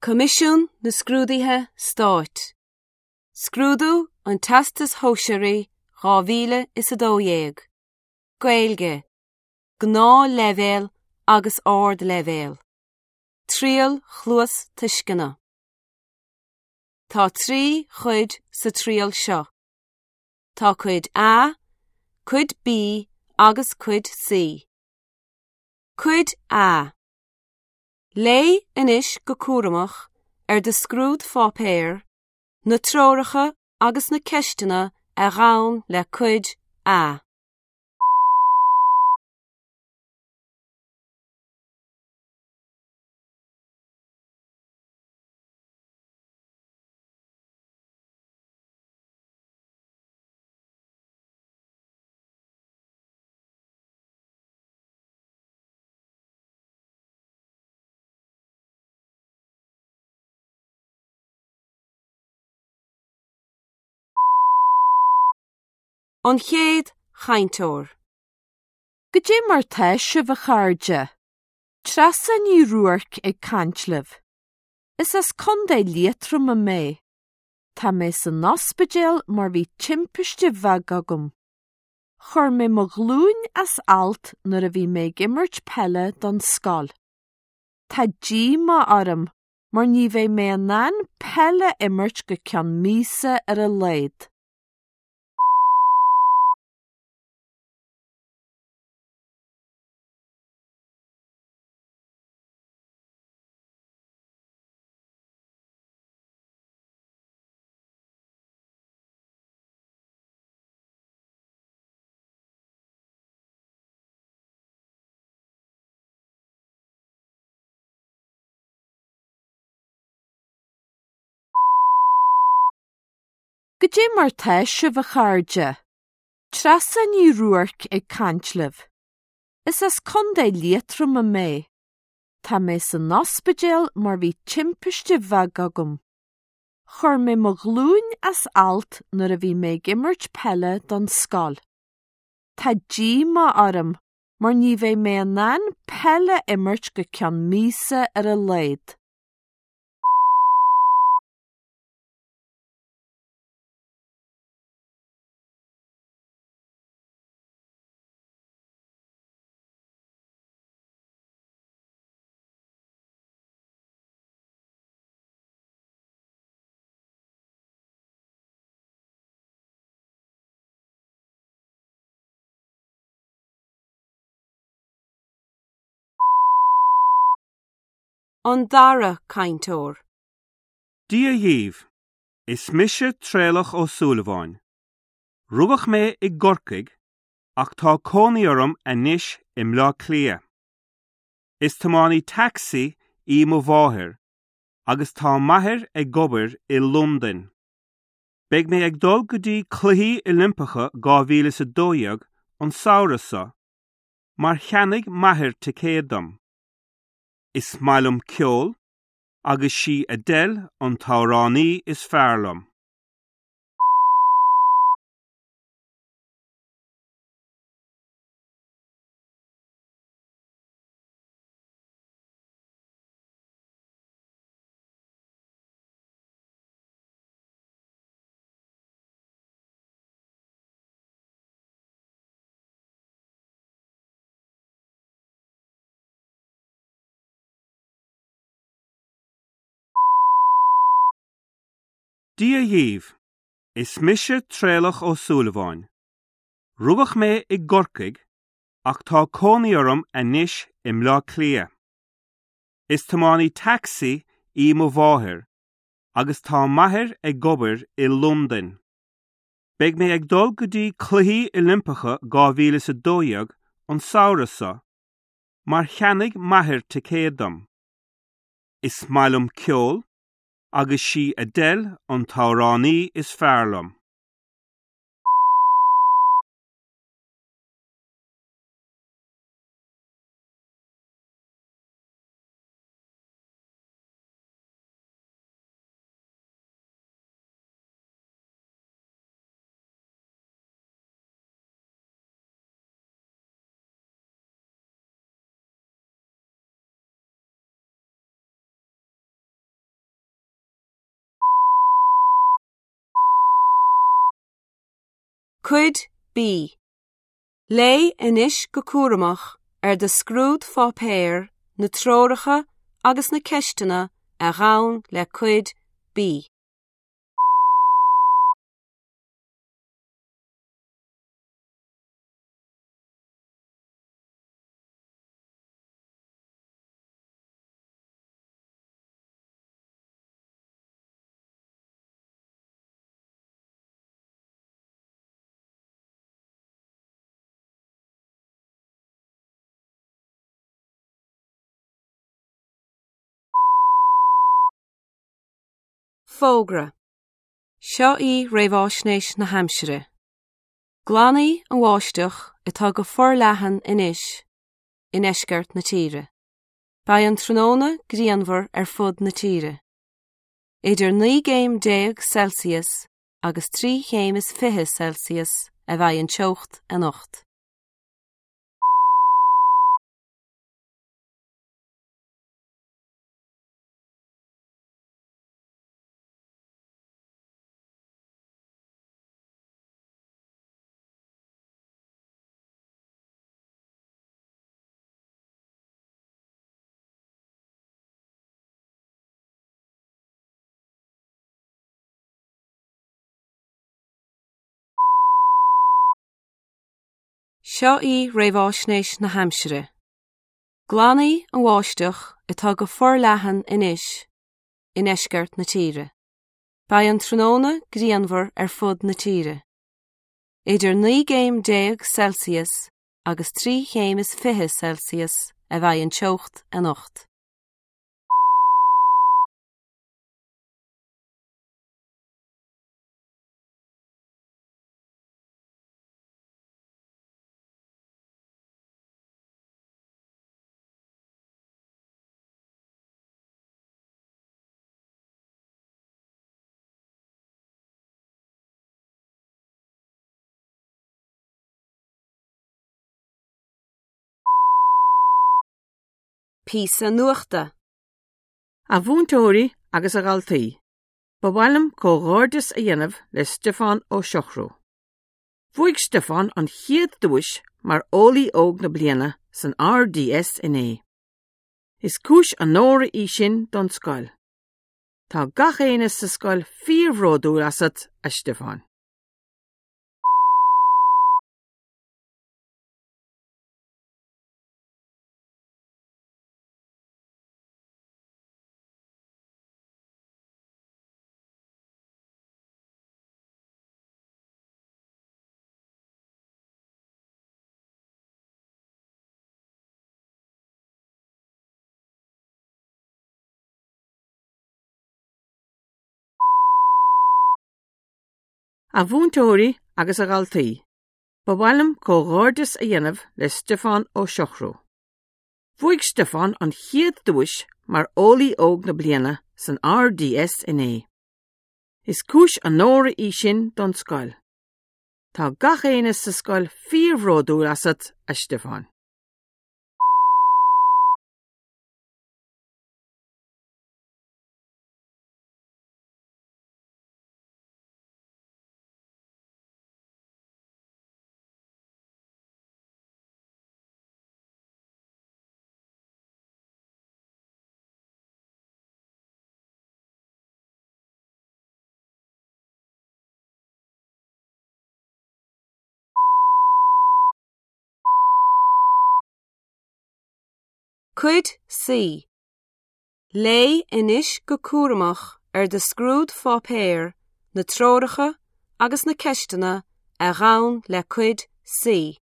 Coimisiún na Scrúduithe Stáit. Scrúdú an Teastais Shóisearaigh 2012. Gaeilge, Gnáthleibhéal agus Ardleibhéal. Triail Chluastuisceana. Tá 3 chuid sa triail seo. Tá Cuid A, Cuid B agus Cuid C. Cuid A. Léigh anois go cúramach ar do scrúdpháipéar na treoracha agus na ceisteanna a ghabhann le Cuid A. An chéad chainteoir. Goidé mar tá sibh a chairde? Treasa Ní Ruairc ag caint libh. Is as Contae Liatroma mé. Tá mé san ospidéal mar bhí timpiste bheag agam. Chuir mé mo ghlúin as alt nuair a bhí mé ag imirt peile don scoil. Tá díomá orm mar ní bheidh mé in ann peil a imirt go ceann míosa ar a laghad. Goidé mar tá sibh a chairde? Treasa Ní Ruairc ag caint libh. Is as Contae Liatroma mé. Tá mé san ospidéal mar bhí timpiste bheag agam. Chuir mé mo ghlúin as alt nuair a bhí mé ag imirt peile don scoil. Tá díomá orm mar ní bheidh mé in ann peil a imirt go ceann míosa ar a laghad. An dara cainteoir. Dia dhaoibh. Is mise Traolach Ó Súilleabháin. Rugadh mé i gCorcaigh ach tá cónaí orm anois i mBleá Cliath. Is tiománaí tacsaí í mo mháthair agus tá m'athair ag obair i Londain. Beidh mé ag dul go dtí Cluichí Oilimpeacha 2012 an samhradh seo mar cheannaigh m'athair ticéad dom. Is maith liom ceol agus sí Adele an t-amhránaí is fearr liom. Dia dhaoibh. Is mise Traolach Ó Súilleabháin. Rugadh mé i gCorcaigh ach tá cónaí orm anois i mBleá Cliath. Is tiománaí tacsaí í mo mháthair agus tá m'athair ag obair i Londain. Beidh mé ag dul go dtí Cluichí Oilimpeacha 2012 an samhradh seo mar cheannaigh m'athair ticéad dom. Is maith liom ceol agus sí Adele an t-amhránaí is fearr liom. Cuid B. Léigh anois go cúramach ar do scrúdpháipéar na treoracha agus na ceisteanna a ghabhann le Cuid B. Fógra. Seo í réamháisnéis na haimsire. Glan í an bháisteach atá go forleathan anois i ndeisceart na tíre. Beidh an tráthnóna grianmhar ar fud na tíre. Idir 19 gcéim Celsius agus 23 chéim Celsius a bheidh an teocht anocht. Seo í réamháisnéis na haimsire. Glan í an bháisteach atá go forleathan anois i ndeisceart na tíre. Beidh an tráthnóna grianmhar ar fud na tíre. Idir 19 gcéim Celsius agus 23 chéim Celsius a bheidh an teocht anocht. Píosa nuachta. A mhúinteoirí agus a dhaltaí, ba mhaith liom comhghairdeas a dhéanamh le Stiofán Ó Siochrú. Bhuaigh Stiofán an chéad duais mar Eolaí Óg na Bliana san RDS inné. Is cúis onóra í sin don scoil. Tá gach éinne sa scoil fíorbhródúil asat, a Stiofáin. A mhúinteoirí agus a dhaltaí, ba mhaith liom comhghairdeas a dhéanamh le Stiofán Ó Siochrú. Bhuaigh Stiofán an chéad duais mar Eolaí Óg na Bliana san RDS inné. Is cúis onóra í sin don scoil. Tá gach éinne sa scoil fíorbhródúil asat, a Stiofáin. Cuid C. Léigh anois go cúramach ar do scrúdpháipéar na treoracha agus na ceisteanna a ghabhann le Cuid C.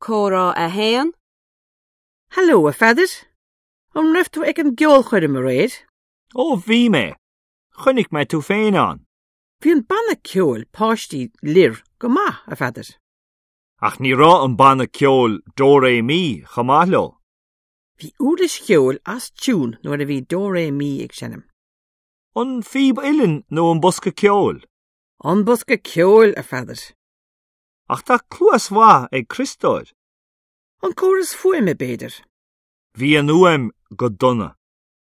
Comhrá 1. Hello, a Pheadair. An raibh tú ag an gceolchoirm aréir? Ó bhí mé. Chonaic mé tú féin ann. Bhí an banna ceoil páistí Lir go maith, a Pheadair. Ach ní raibh an banna ceoil Dó Ré Mí chomh maith leo. Bhí uirlis cheoil as tiún nuair a bhí Dó Ré Mí ag seinm. An phíb uilleann nó an bosca ceoil? An bosca ceoil, a Pheadair. Ach tá cluas mhaith ag Criostóir. An córas fuaime, b'fhéidir. Bhí an fhuaim go dona.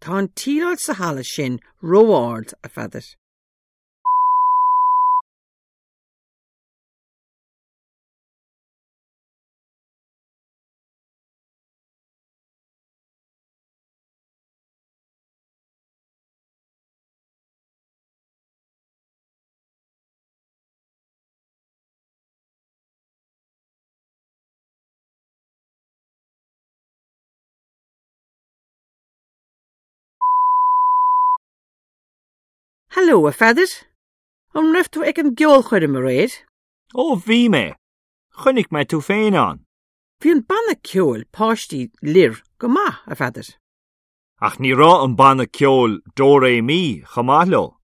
Tá an tsíleáil sa halla sin ró-ard, a Pheadair. Hello, a Pheadair. An raibh tú ag an gceolchoirm aréir? Ó, bhí mé. Chonaic mé tú féin ann. Bhí an banna ceoil páistí Lir go maith, a Pheadair. Ach ní raibh an banna ceoil Dó Ré Mí chomh maith leo.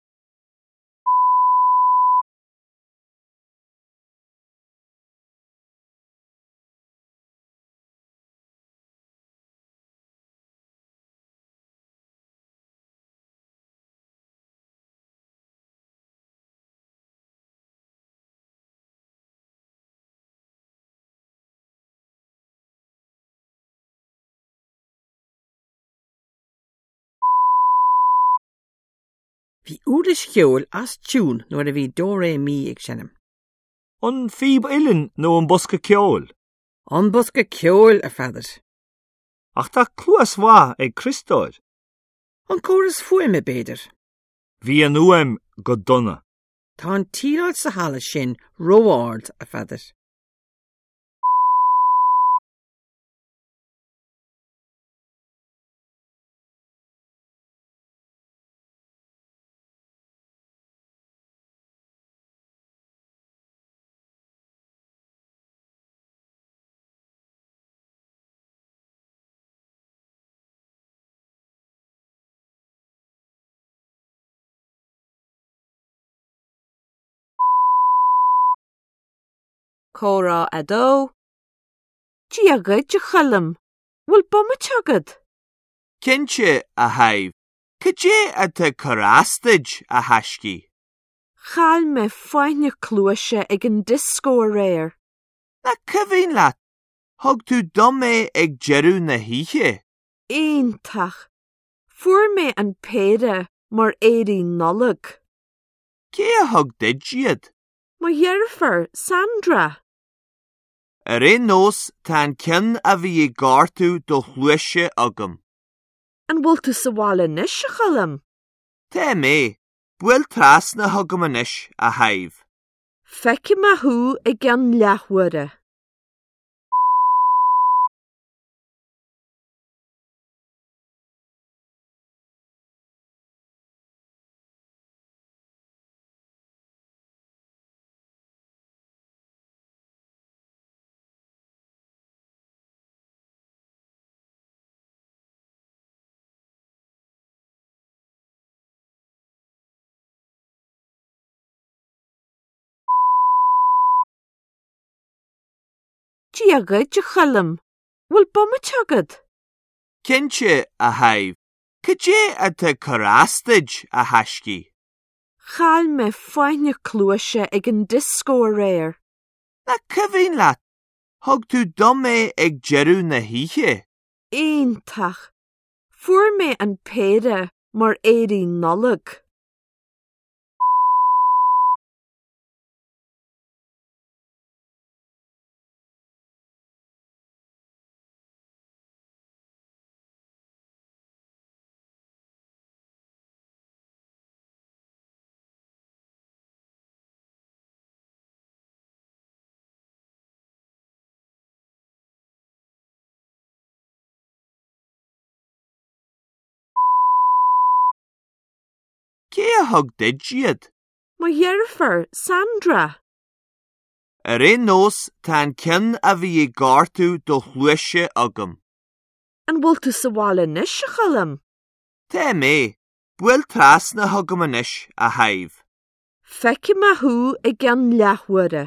Bhí uirlis cheoil as tiún nuair a bhí Dó Ré Mí ag seinm. An phíb uilleann nó an bosca ceoil? An bosca ceoil, a Pheadair. Ach tá cluas mhaith ag Criostóir. An córas fuaime, b'fhéidir. Bhí an fhuaim go dona. Tá an tsíleáil sa halla sin ró-ard, a Pheadair. Comhrá 2. Dia dhuit, a Choilm. Bhfuil bomaite agat? Cinnte, a Shadhbh. Cad é atá ag cur as duit, a thaiscidh? Chaill mé fáinne cluaise ag an dioscó aréir. Nach cuimhin leat? Thug tú dom é ag deireadh na hoíche. Iontach! Fuair mé an péire mar earraí Nollag. Cé a thug duit iad? Mo dheirfiúr, Sandra. Ar aon nós, tá an ceann a bhí ag gortú do chluaise agam. An bhfuil tú sa bhaile anois, a Choilm? Tá mé. Buail trasna chugam anois, a Shadhbh. Feicfidh mé thú i gceann leathuaire. Dia dhuit, a Choilm. Bhfuil bomaite agat? Cinnte, a Shadhbh. Cad é atá ag cur as duit, a thaiscidh? Chaill mé fáinne cluaise ag an dioscó aréir. Nach cuimhin leat? Thug tú dom é ag deireadh na hoíche. Iontach! Fuair mé an péire mar earraí Nollag. Cé a thug duit iad? Mo dheirfiúr, Sandra. Ar aon nós, tá an ceann a bhí ag gortú do chluaise agam. An bhfuil tú sa bhaile anois, a Choilm? Tá mé. Buail trasna chugam anois, a Shadhbh. Feicfidh mé thú i gceann leathuaire.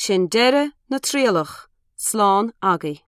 Sin deireadh na trialach, slán agaibh.